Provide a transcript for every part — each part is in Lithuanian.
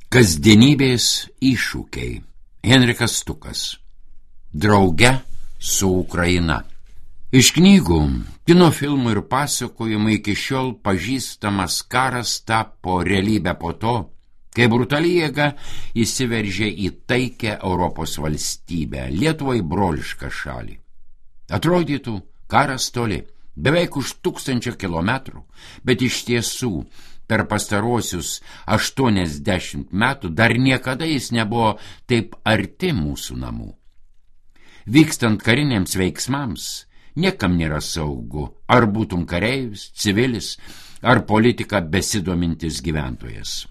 Kasdienybės iššūkiai. Henrikas Stukas. Drauge su Ukraina. Iš knygų, kino filmų ir pasakojimų iki šiol pažįstamas karas tapo realybę po to, kai brutali jėga įsiveržė į taikę Europos valstybę, Lietuvai brolišką šalį. Atrodytų, karas toli, beveik už 1000 kilometrų, bet iš tiesų per pastaruosius 80 metų dar niekada jis nebuvo taip arti mūsų namų. Vykstant kariniams veiksmams, niekam nėra saugu, ar būtum kareivis, civilis, ar politika besidomintis gyventojas.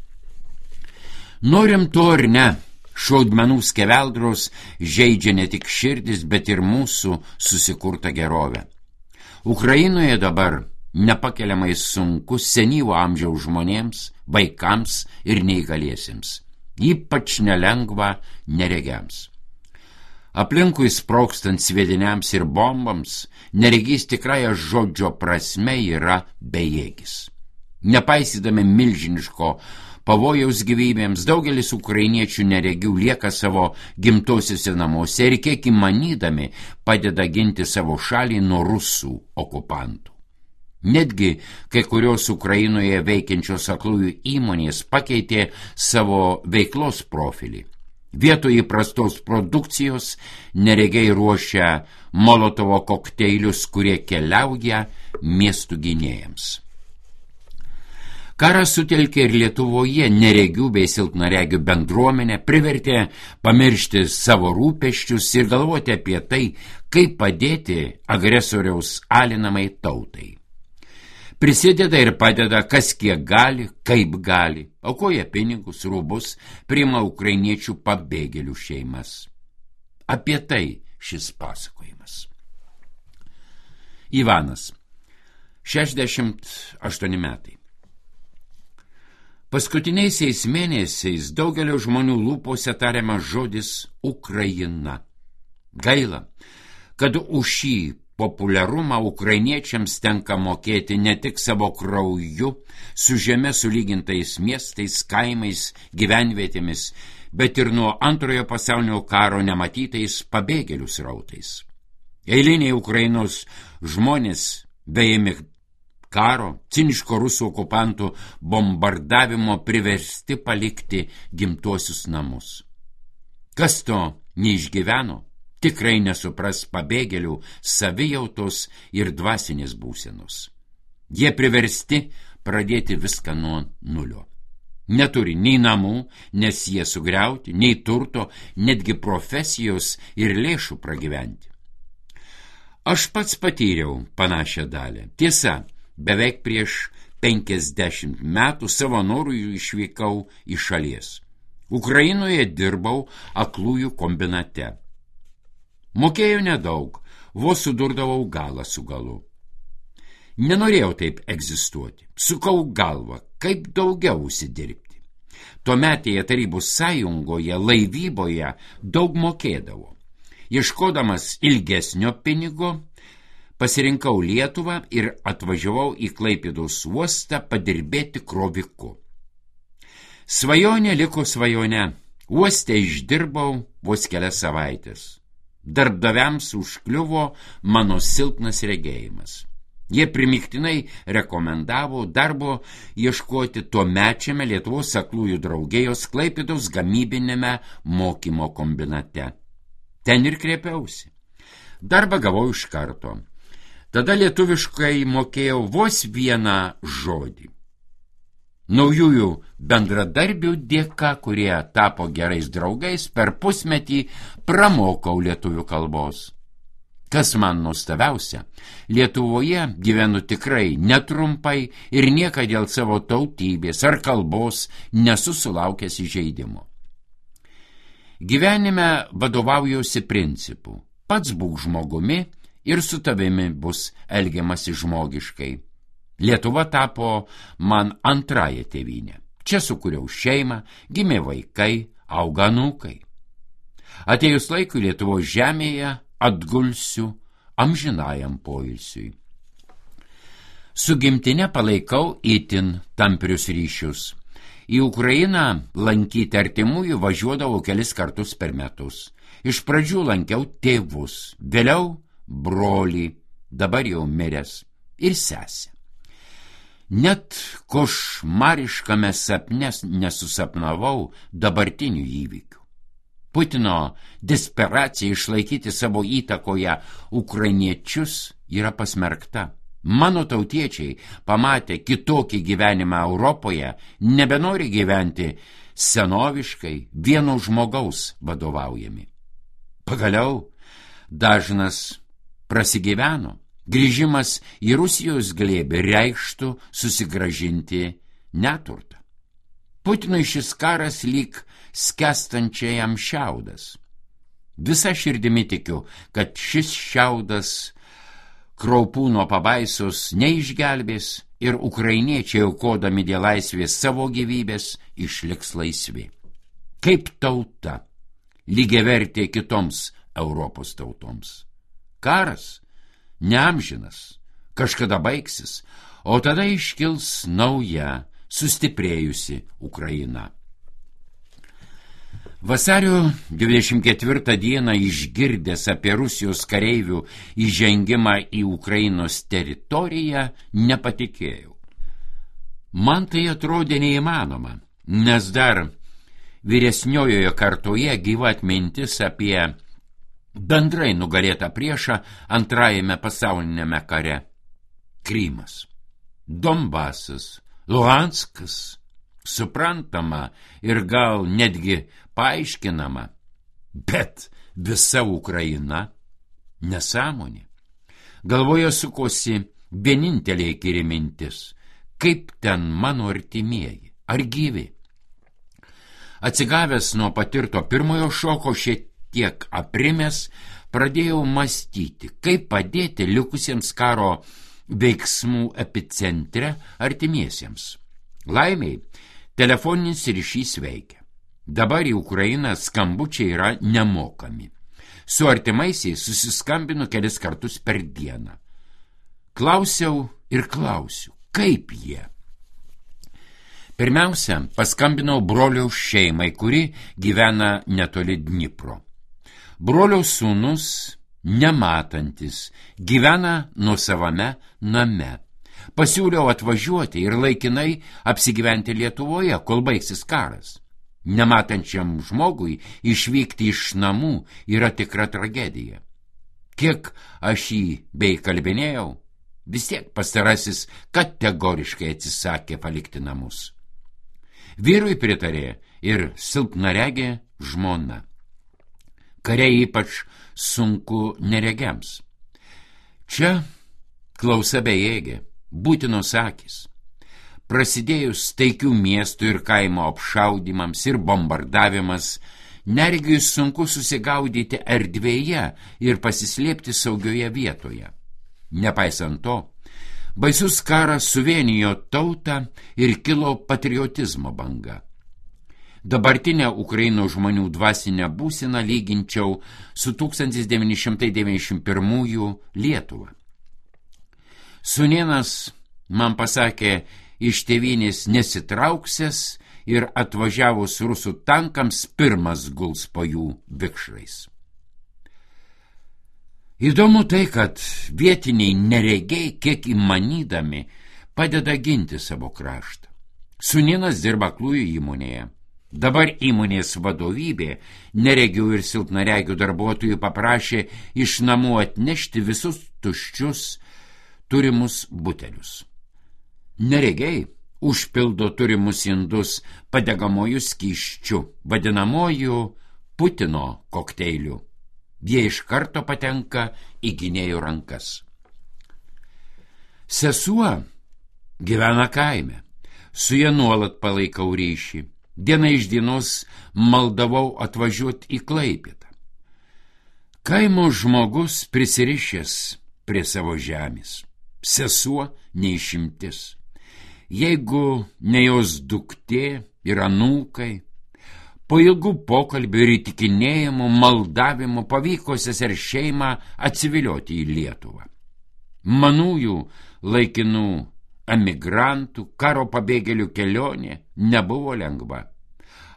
Norim to ar ne, šaudmenų skeveldros žeidžia ne tik širdis, bet ir mūsų susikurtą gerovę. Ukrainoje dabar nepakeliamai sunku senyvo amžiaus žmonėms, vaikams ir neįgaliesiems, ypač nelengva neregiams. Aplinkui sprogstant sviediniams ir bombams, neregys tikrąja žodžio prasme yra bejėgis. Nepaisydami milžiniško pavojaus gyvybėms, daugelis ukrainiečių neregių lieka savo gimtosiuose namuose ir kiek įmanydami padeda ginti savo šalį nuo rusų okupantų. Netgi kai kurios Ukrainoje veikiančios aklųjų įmonės pakeitė savo veiklos profilį. Vietoj įprastos produkcijos neregiai ruošia Molotovo kokteilius, kurie keliauja miestų gynėjams. Karas sutelkė ir Lietuvoje neregių bei silpnaregių bendruomenę, privertė pamiršti savo rūpesčius ir galvoti apie tai, kaip padėti agresoriaus alinamai tautai. Prisideda ir padeda, kas kiek gali, kaip gali, aukoja pinigus, rūbus, priima ukrainiečių pabėgėlių šeimas. Apie tai šis pasakojimas. Ivanas, 68 metai. Paskutiniaisiais mėnesiais daugelio žmonių lūpose tariamas žodis Ukraina. Gaila, kad už šį populiarumą ukrainiečiams tenka mokėti ne tik savo krauju, su žeme sulygintais miestais, kaimais, gyvenvietėmis, bet ir nuo Antrojo pasaulinio karo nematytais pabėgėlių srautais. Eiliniai Ukrainos žmonės, beimi karo, ciniško rusų okupantų bombardavimo priversti palikti gimtuosius namus. Kas to neišgyveno, tikrai nesupras pabėgėlių savijautos ir dvasinės būsenos. Jie priversti pradėti viską nuo nulio. Neturi nei namų, nes jie sugriauti, nei turto, netgi profesijos ir lėšų pragyventi. Aš pats patyriau panašią dalį. Tiesa, beveik prieš 50 metų savo norų išvykau iš šalies. Ukrainoje dirbau aklųjų kombinate. Mokėjau nedaug, vos sudurdavau galą su galu. Nenorėjau taip egzistuoti. Sukau galvą, kaip daugiau užsidirbti. Tuometėje Tarybų sąjungoje laivyboje daug mokėdavo. Ieškodamas ilgesnio pinigo, pasirinkau Lietuvą ir atvažiavau į Klaipėdos uostą padirbėti kroviku. Svajonė liko svajone. Uoste išdirbau vos kelias savaitės. Darbdaviams užkliuvo mano silpnas regėjimas. Jie primiktinai rekomendavo darbo ieškoti tuomečiame Lietuvos aklųjų draugijos Klaipėdos gamybinėme mokymo kombinate. Ten ir kreipiausi. Darbą gavau iš karto. Tada lietuviškai mokėjau vos vieną žodį. Naujųjų bendradarbių dėka, kurie tapo gerais draugais, per pusmetį pramokau lietuvių kalbos. Kas man nuostabiausia, Lietuvoje gyvenu tikrai netrumpai ir niekad dėl savo tautybės ar kalbos nesu sulaukęs įžeidimo. Gyvenime vadovaujuosi principu: pats būk žmogumi ir su tavimi bus elgiamasi žmogiškai. Lietuva tapo man antrąją tėvynę. Čia sukūriau šeimą, gimė vaikai, auga anūkai. Atėjus laikui Lietuvos žemėje atgulsiu amžinajam poilsiui. Su gimtine palaikau itin tamprius ryšius. Į Ukrainą lankyti artimųjų važiuodavau kelis kartus per metus. Iš pradžių lankiau tėvus, vėliau brolį, dabar jau miręs, ir sesę. Net košmariškame sapne nesusapnavau dabartinių įvykių. Putino desperacija išlaikyti savo įtakoje ukrainiečius yra pasmerkta. Mano tautiečiai, pamatę kitokį gyvenimą Europoje, nebenori gyventi senoviškai, vieno žmogaus vadovaujami. Pagaliau dažnas prasigyveno. Grįžimas į Rusijos glėbį reikštų susigrąžinti neturtą. Putinui šis karas lyg skęstančiajam šiaudas. Visa širdimi tikiu, kad šis šiaudas kraupų nuo pabaisos neišgelbės ir ukrainiečiai, aukodami dėl laisvės savo gyvybės, išliks laisvi. Kaip tauta, lygiavertė kitoms Europos tautoms. Karas neamžinas, kažkada baigsis, o tada iškils nauja, sustiprėjusi Ukraina. Vasario 24 dieną išgirdęs apie Rusijos kareivių įžengimą į Ukrainos teritoriją, nepatikėjau. Man tai atrodė neįmanoma, nes dar vyresniojoje kartoje gyva atmintis apie bendrai nugalėtą priešą antrajame pasaulinėme kare. Krymas, Donbasas, Luhanskas, suprantama ir gal netgi paaiškinama, bet visa Ukraina nesąmonė. Galvoje sukosi vienintelė įkyri mintis, kaip ten mano artimieji, ar gyvi. Atsigavęs nuo patirto pirmojo šoko, šiek tiek aprimęs, pradėjau mąstyti, kaip padėti likusiems karo veiksmų epicentre artimiesiems. Laimiai, telefoninis ryšys veikia. Dabar į Ukrainą skambučiai yra nemokami. Su artimaisiais susiskambinu kelis kartus per dieną. Klausiau ir klausiu, kaip jie. Pirmiausia, paskambinau broliaus šeimai, kuri gyvena netoli Dnipro. Broliaus sūnus, nematantis, gyvena nuosavame name. Pasiūliau atvažiuoti ir laikinai apsigyventi Lietuvoje, kol baigsis karas. Nematančiam žmogui išvykti iš namų yra tikra tragedija. Kiek aš jį bei kalbinėjau, vis tiek pastarasis kategoriškai atsisakė palikti namus. Vyrui pritarė ir silpnaregė žmona. Kariai ypač sunku neregiams. Čia klausa bejėgė, būtinos akys. Prasidėjus taikių miestų ir kaimo apšaudymams ir bombardavimas, neregiui sunku susigaudyti erdvėje ir pasislėpti saugioje vietoje. Nepaisant to, baisus karas suvienijo tautą ir kilo patriotizmo banga. Dabartinę Ukrainos žmonių dvasinę būseną lyginčiau su 1991 Lietuva. Sūnėnas man pasakė, iš tėvynės nesitrauksęs ir atvažiavus rusų tankams pirmas guls po jų vikšrais. Įdomu tai, kad vietiniai neregiai kiek įmanydami padeda ginti savo kraštą. Sūnėnas dirba aklųjų įmonėje. Dabar įmonės vadovybė neregių ir silpnaregių darbuotojų paprašė iš namų atnešti visus tuščius turimus butelius. Neregiai užpildo turimus indus padegamojų skysčių, vadinamojų Putino kokteilių. Jie iš karto patenka į gynėjų rankas. Sesuo gyvena kaime, su ja nuolat palaikau ryšį. Diena iš dienos maldavau atvažiuoti į Klaipėdą. Kaimo žmogus prisirišęs prie savo žemės. Sesuo neišimtis. Jeigu ne jos duktė ir anūkai, po ilgų pokalbių ir įtikinėjimų, maldavimų pavyko seser šeimą atsivilioti į Lietuvą. Manųjų laikinų emigrantų, karo pabėgėlių kelionė nebuvo lengva.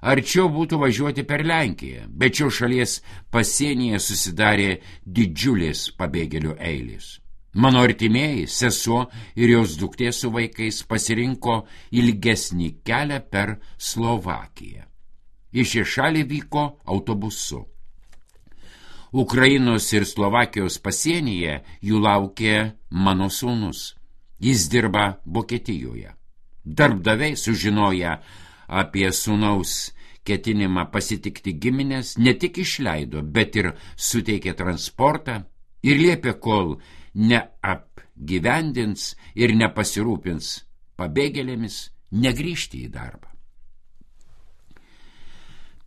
Arčiau būtų važiuoti per Lenkiją, bet šios šalies pasienyje susidarė didžiulės pabėgėlių eilės. Mano artimieji, sesuo ir jos duktė su vaikais pasirinko ilgesnį kelią per Slovakiją. Į šią šalį vyko autobusu. Ukrainos ir Slovakijos pasienyje jų laukė mano sūnus. Jis dirba Vokietijoje. Darbdaviai sužinoję apie sūnaus ketinimą pasitikti giminės ne tik išleido, bet ir suteikė transportą ir liepė, kol neapgyvendins ir nepasirūpins pabėgėlėmis, negrįžti į darbą.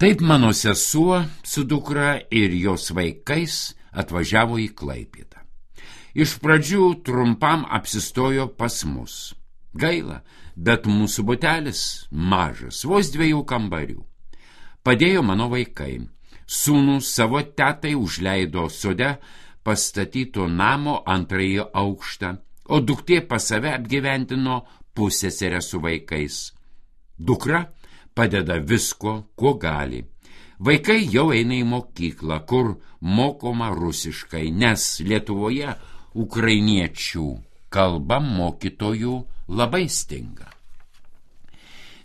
Taip mano sesuo su dukra ir jos vaikais atvažiavo į Klaipėdą. Iš pradžių trumpam apsistojo pas mus. Gaila, bet mūsų butelis mažas, vos 2 kambarių. Padėjo mano vaikai. Sūnus savo tetai užleido sode pastatyto namo 2 aukštą, o duktė pas save apgyvendino pusseserę su vaikais. Dukra padeda visko, kuo gali. Vaikai jau eina į mokyklą, kur mokoma rusiškai, nes Lietuvoje ukrainiečių kalba mokytojų labai stinga.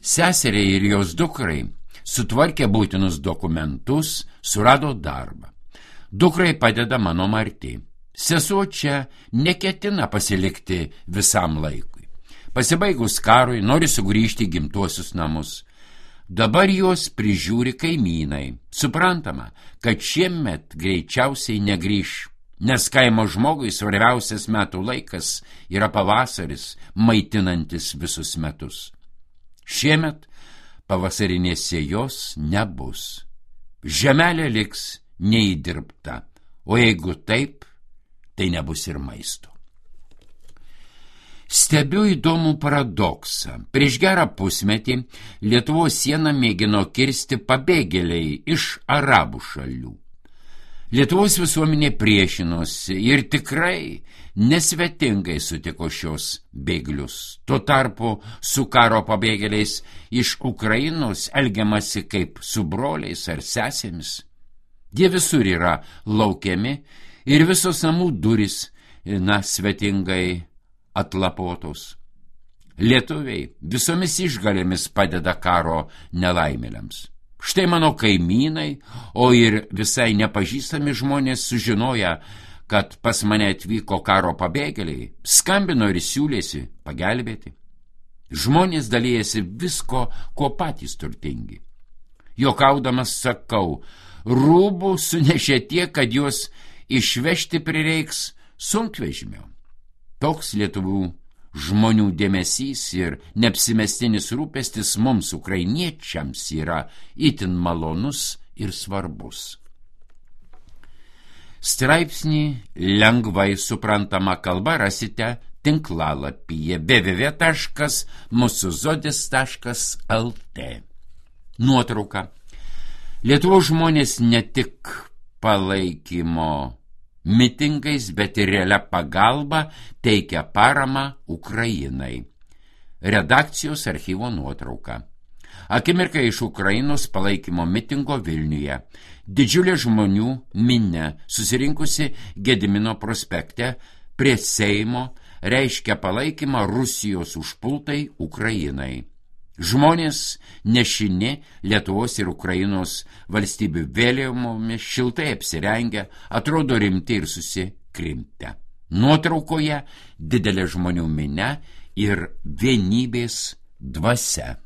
Seseriai ir jos dukrai sutvarkė būtinus dokumentus, surado darbą. Dukrai padeda mano Marti. Sesuo čia neketina pasilikti visam laikui. Pasibaigus karui nori sugrįžti į gimtuosius namus. Dabar juos prižiūri kaimynai. Suprantama, kad šiemet greičiausiai negrįš, nes kaimo žmogui svarbiausias metų laikas yra pavasaris, maitinantis visus metus. Šiemet pavasarinės sėjos nebus. Žemelė liks neįdirbta, o jeigu taip, tai nebus ir maisto. Stebiu įdomų paradoksą. Prieš gerą pusmetį Lietuvos sieną mėgino kirsti pabėgėliai iš arabų šalių. Lietuvos visuomenė priešinosi ir tikrai nesvetingai sutiko šios bėglius. Tuo tarpu su karo pabėgėliais iš Ukrainos elgiamasi kaip su broliais ar sesėmis. Jie visur yra laukiami ir visos namų durys, svetingai atlapotos. Lietuviai visomis išgalėmis padeda karo nelaimėliams. Štai mano kaimynai, o ir visai nepažįstami žmonės sužinoja, kad pas mane atvyko karo pabėgėliai, skambino ir siūlėsi pagelbėti. Žmonės dalijasi visko, ko patys turtingi. Jokaudamas sakau, rūbų sunešė tiek, kad juos išvežti prireiks sunkvežimio. Toks lietuvių žmonių dėmesys ir neapsimestinis rūpestis mums ukrainiečiams yra itin malonus ir svarbus. Straipsnį lengvai suprantama kalba rasite tinklalapyje www.musuzodis.lt. Nuotrauka. Lietuvos žmonės ne tik palaikymo mitingais, bet ir realia pagalba teikia paramą Ukrainai. Redakcijos archyvo nuotrauka. Akimirka iš Ukrainos palaikymo mitingo Vilniuje. Didžiulė žmonių minia susirinkusi Gedimino prospekte prie Seimo reiškia palaikymą Rusijos užpultai Ukrainai. Žmonės nešini Lietuvos ir Ukrainos valstybių vėliavomis, šiltai apsirengę, atrodo rimti ir susikrimtę. Nuotraukoje didelė žmonių minia ir vienybės dvasia.